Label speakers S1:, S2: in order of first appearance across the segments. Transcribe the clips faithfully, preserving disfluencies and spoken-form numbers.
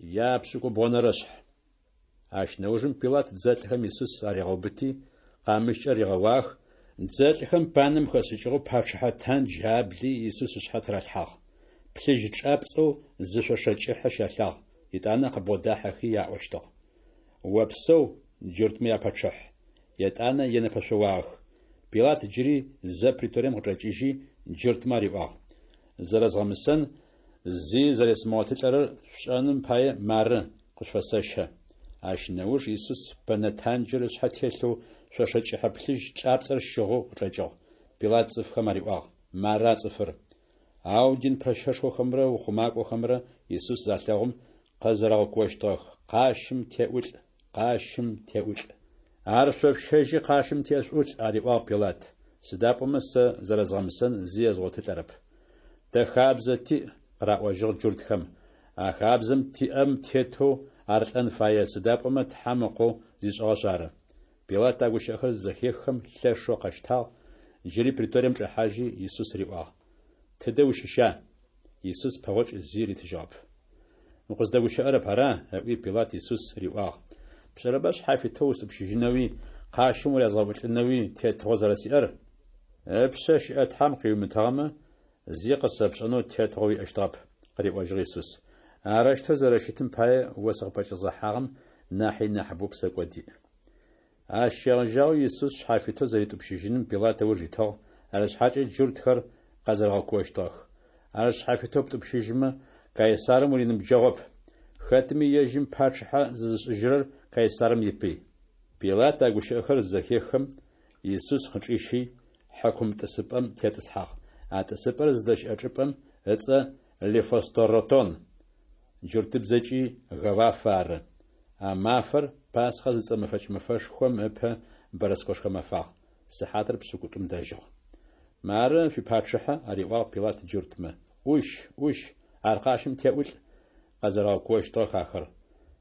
S1: Япшӏыкӏубгъонэрэшъхь. Ащ нэужым Пилат дзэлӏхэм Исус аригъэубыти, къамыщкӏэ ригъэуагъэх, дзэлӏхэм панэм хэшӏыкӏыгъэу пачъыхьэ тандж абли Исус ышъхьэ тыралъхьагъ. Плъыжь чӏапцӏэу зы шъошэ кӏыхьэ щалъагъ, етӏанэ къыбгъодахьэхи аӏощтыгъ: «Опсэу, джуртмэ япачъыхь!» Етӏанэ енэпэшъоуагъэх. Пилат джыри зэ преторием къычӏэкӏыжьи, джуртмэ ариӏуагъ: «Зэрэзгъэмысэн зи зэресымыгъотылӏэрэр шъушӏэным пае мары, къышъуфэсэщэ». Ащ нэуж Исус пэнэ танджыр ышъхьэ телъэу шъошэ кӏыхьэ плъыжь чӏапцӏэр щыгъэу къычӏэкӏыгъ. Пилат цӏыфхэм ариӏуагъ: «Мары а цӏыфыр!» Ау дин пэщэшхохэмрэ ухъумакӏохэмрэ Исус залъэгъум къэзэрэгъэкуощтыгъэх: «Къащым теӏулӏ! Къащым теӏулӏ!» «Ар шъо шъущэжьи къащым тешъуӏулӏ, – ариӏуагъ Пилат, – сыда пӏомэ сэ зэрэзгъэмысэн зи езгъотылӏэрэп». «Тэ хабзэ тиӏ, – къыраӏожьыгъ джуртхэм, – а хабзэм тиӏэм тетэу ар лӏэн фае, сыда пӏомэ Тхьэм Ыкъоу зишӏыгъэшъ ары». Пилат а гущыӏэхэр зызэхеххэм лъэшэу къэщтагъ, джыри преторием чӏэхьажьи, Исус риӏуагъ: «Тыдэ ущыща?» Исус пэгъокӏ зи ритыжьыгъэп. «Укъыздэгущыӏэрэп, ара?» – ыӏуи Пилат Исус риӏуагъ: «Пшӏэрэба шъхьафитэу устӏупщыжьынэуи, къащым урязгъэӏулӏынэуи тетыгъо зэрэсиӏэр?» «Ыпшъэ щыӏэ Тхьэм къыуимытыгъэмэ, зи къысэпшӏэнэу тетыгъо уиӏэщтыгъэп», – къыриӏожьыгъ Исус. «Арэущтэу зэрэщытым пае о сыкъыпӏэкӏэзгъэхьагъэм нахьи нахьыбэу псэкӏод иӏ». Ащ щегъэжьагъэу Исус шъхьафитэу зэритӏупщыжьыным Пилат ыуж итыгъ, арышъхьакӏэ джуртхэр къэзэрэгъэкуощтыгъэх: «Ар шъхьафитэу птӏупщыжьымэ, Кайсарым уриныбджэгъоп. Хэтми ежьым пачъыхьэ зызышӏыжьырэр Кайсарым ипый». Пилат а гущыӏэхэр зызэхеххэм, Исус къычӏищи, хьакум тӏысыпӏэм тетӏысхьагъ. А тӏысыпӏэр зыдэщыӏэ чӏыпӏэм ыцӏэ Лифосторотон, джуртыбзэкӏи Гавафэ ары. А мафэр Пасхэ зыцӏэ мэфэкӏ мэфэшхом ыпэ бэрэскэшхо мэфагъ. Сыхьатыр пшӏыкӏутӏум дэжьыгъ. «Мары шъуипачъыхьэ, – ариӏуагъ Пилат джуртмэ. – Ӏущ, ӏущ, ар къащым теӏулӏ! – къэзэрэгъэкуощтыгъэх ахэр.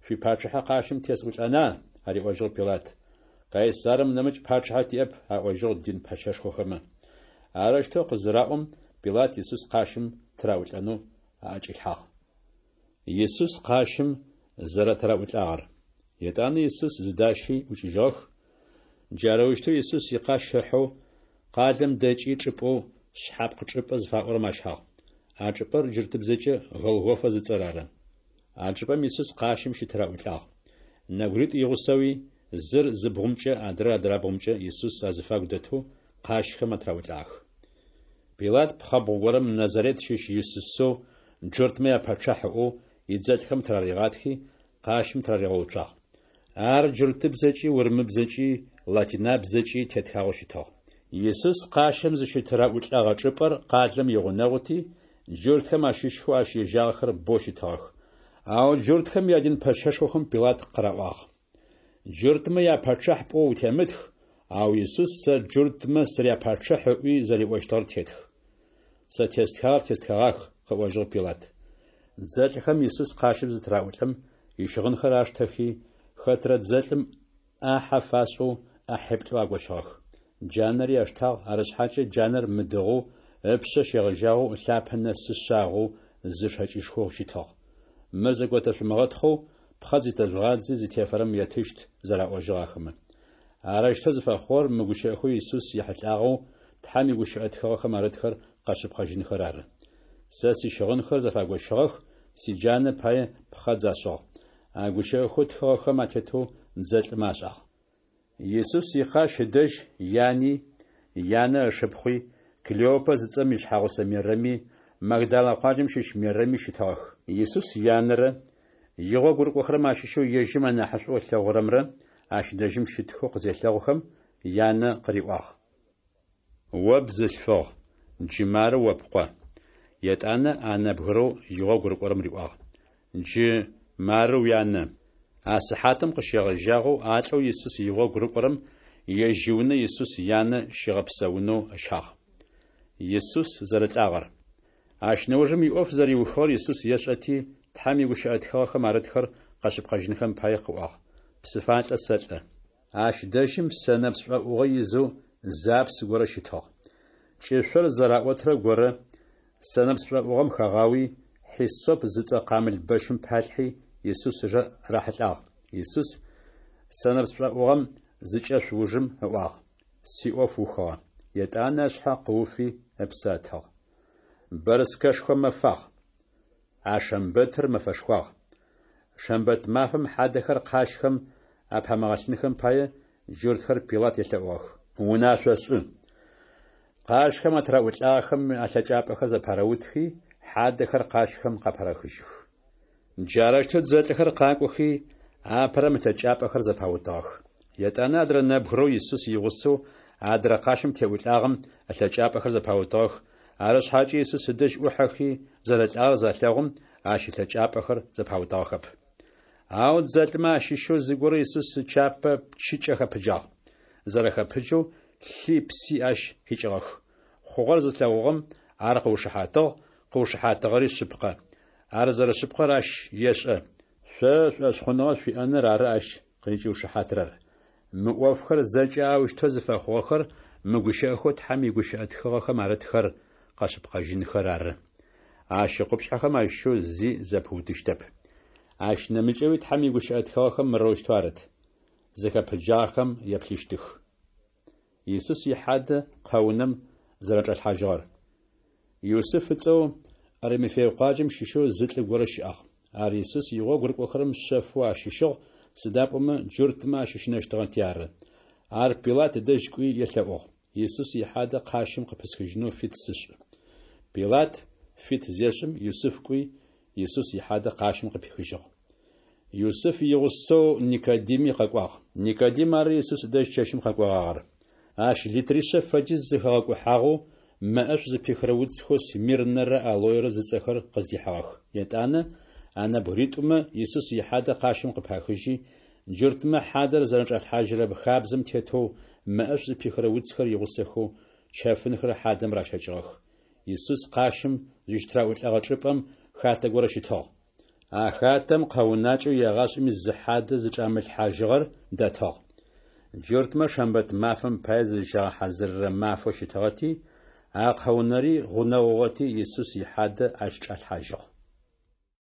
S1: «Шъуипачъыхьэ къащым тесӏулӏэна?» – ариӏожьыгъ Пилат. «Кайсарым нэмыкӏ пачъыхьэ тиӏэп, – аӏожьыгъ дин пэщэшхохэмэ. Арэущтэу къызыраӏом, Пилат Исус къащым тыраӏулӏэнэу аӏэкӏилъхьагъ. Исус къащым зэрэтыраӏулӏагъэр. Етӏанэ Исус зыдащи ӏукӏыжьыгъэх. Джарэущтэу Исус икъащ ыхьэу къалэм дэкӏи чӏыпӏэу Шъхьапкъ чӏыпӏэ зыфаӏорэм ащагъ. А чӏыпӏэр джуртыбзэкӏэ Голгофэ зыцӏэр ары. А чӏыпӏэм Исус къащым щытыраӏулӏагъ. Нэбгыритӏу игъусэуи, зыр зы бгъумкӏэ, адрэр адрабгъумкӏэ Исус азыфагу дэтэу къащхэм атыраӏулӏагъэх. Пилат пхъэбгъу горэм Назарет щыщ Исусэу джуртмэ япачъыхь ыӏоу идзэлӏхэм тыраригъатхи, къащым тыраригъэуцуагъ. Ар джуртыбзэкӏи, урымыбзэкӏи, латинабзэкӏи тетхагъэу щытыгъ. Исус къащым зыщытыраӏулӏэгъэ чӏыпӏэр къалэм игъунэгъути, джуртхэм ащыщхэу ащ ежагъэхэр боу щытыгъэх. Ау джуртхэм ядин пэщэшхохэм Пилат къыраӏуагъ: «Джуртмэ япачъыхь пӏоу утемытх, ау Исус сэ джуртмэ сыряпачъыхь ыӏуи зэриӏощтыгъэр тетх». «Сэ тестхагъэр тестхэгъах, – къыӏожьыгъ Пилат. Дзэлӏхэм Исус къащым зытыраӏулӏэм, ищыгъынхэр аштэхи, хэтрэ дзэлӏым ӏахьэ фашӏэу ӏахьиплӏэу агощыгъэх. Джанэри аштагъ, арышъхьакӏэ джанэр мыдыгъэу, ыпшъэ щегъэжьагъэу ылъапэ нэсы шъагъэу зы шэкӏышхоу щытыгъ. «Мыр зэготэшъумыгъэтхъэу, пхъэдз итэжъугъадзи зытефэрэм етыщт», – зэраӏожьыгъ ахэмэ. Арэущтэу зыфэхъугъэр мы гущыӏэхэу Исус ехьылӏагъэу Тхьэм игущыӏэ тхыгъэхэм арытхэр къэшъыпкъэжьынхэр ары. «Сэ сищыгъынхэр зэфагощыгъэх, сиджанэ пае пхъэдз ашӏыгъ». А гущыӏэхэу тхыгъэхэм атетэу дзэлӏымэ ашӏагъ. Исус икъащ ыдэжь яни, янэ ышыпхъуи, Клеопэ зыцӏэм ишъхьэгъусэ Мерэми, Магдалэ къуаджэм щыщ Мерэми щытыгъэх. Исус янэрэ, игъогу рыкӏохэрэм ащыщэу ежьым анахьышӏоу ылъэгъурэмрэ ащ дэжьым щытхэу къызелъэгъухэм, янэ къыриӏуагъ: «О бзылъфыгъ, джы мары о пкъо». Етӏанэ а нэбгырэу игъогу рыкӏорэм риӏуагъ: «Джы мары уянэ». А сыхьатым къыщегъэжьагъэу а лӏэу Исус игъогу рыкӏорэм ежь иунэ Исус янэ щигъэпсэунэу ыщагъ. Исус зэрэлӏагъэр. Ащ нэужым иӏоф зэриухыгъэр Исус ешӏэти, Тхьэм игущыӏэ тхыгъэхэм арытхэр къэшъыпкъэжьынхэм пае къыӏуагъ: «Псыфалӏэ сэлӏэ». Ащ дэжьым сэнэпс шӏоӏугъэ изэу зы апс горэ щытыгъ. Кӏышъор зэраӏотырэ горэ сэнэпс шӏоӏугъэм хагъауи, хьиссоп зыцӏэ къамыл бэщым палъхьи, Исус ыжэ рахьылӏагъ. Исус сэнэпс шӏоӏугъэм зыкӏешъу ужым ыӏуагъ: Сиӏоф ухыгъэ. Етӏанэ ышъхьэ къыуфи ыпсэ ытыгъ. Бэрскэшхо мэфагъ. А шэмбэтыр мэфэшхуагъ. Шэмбэт мафэм хьадэхэр къащхэм апамыгъэлъынхэм пае, джуртхэр Пилат елъэӏугъэх: Унашъо шӏы. Къащхэм атыраӏулӏагъэхэм алъэкӏапӏэхэр зэпарэутхи, хьадэхэр къащхэм къапарэхыжьых. Джарэущтэу дзэлӏхэр къакӏохи, апэрэм ылъэкӏапӏэхэр зэпаутыгъэх. Етӏанэ адрэ нэбгырэу Исус игъусэу адрэ къащым теӏулӏагъэм ылъэкӏапӏэхэр зэпаутыгъэх, ары шъхьакӏэ Исус ыдэжь ӏухьэхи зэрэлӏагъэр залъэгъум, ащ ылъэкӏапӏэхэр зэпаутыгъэхэп. Ау дзэлӏмэ ащыщэу зыгорэ Исус ычапэ пчыкӏэ хэпыджагъ. Зэрэхэпыджэу лъи пси ащ къикӏыгъэх. Хъугъэр зылъэгъугъэм ар къыушыхьатыгъ, къыушыхьатыгъэри шъыпкъэ. Ар зэрэшъыпкъэр ащ ешӏэ. Шъо шӏошъхъуныгъэ шъуиӏэныр ары ащ къызкӏиушыхьатырэр. Мы ӏофхэр зэкӏэ аущтэу зыфэхъугъэхэр мы гущыӏэхэу Тхьэм игущыӏэ тхыгъэхэм арытхэр къэшъыпкъэжьынхэр ары. Ащ икъупшъхьэхэм ащыщэу зи зэпыутыщтэп. Ащ нэмыкӏэуи Тхьэм игущыӏэ тхыгъэхэм мырэущтэу арыт: Зыхэпыджагъэхэм еплъыщтых. Исус ихьадэ къэунэм зэрэчӏалъхьажьыгъэр. Юсыф ыцӏэу Аримафей къуаджэм щыщэу зы лӏы горэ щыӏагъ. Ар Исус игъогу рыкӏохэрэм шъэфэу ащыщыгъ, сыда пӏомэ джуртмэ ащыщынэщтыгъэти ары. Ар Пилат ыдэжь кӏуи елъэӏугъ: Исус ихьадэ къащым къыпысхыжьынэу фит сышӏ. Пилат фит зешӏым, Юсыф кӏуи, Исус ихьадэ къащым къыпихыжьыгъ. Юсыф игъусэу Никодими къэкӏуагъ. Никодим ары Исус ыдэжь чэщым къэкӏогъагъэр. Ащ литришъэ фэдиз зэхэгъэкӏухьагъэу мэ ӏэшӏу зыпихырэ уцхэу смирнэрэ алоерэ зыцӏэхэр къыздихьыгъэх. Етӏанэ а нэбгыритӏумэ Исус ихьадэ къащым къыпахыжьи, джуртмэ хьадэр зэрэчӏалъхьажьырэ хабзэм тетэу мэ ӏэшӏу зыпихырэ уцхэр игъусэхэу чэфынхэр хьадэм ращэкӏыгъэх. Исус къащым зыщытыраӏулӏэгъэ чӏыпӏэм хатэ горэ щытыгъ. А хатэм къэунакӏэу егъашӏэми зы хьадэ зычӏамылъхьажьыгъэр дэтыгъ. Джуртмэ шэмбэт мафэм пае зызщагъэхьазырырэ мафэу щытыгъэти, а къэунэри гъунэгъугъэти, Исус ихьадэ ащ чӏалъхьажьыгъ.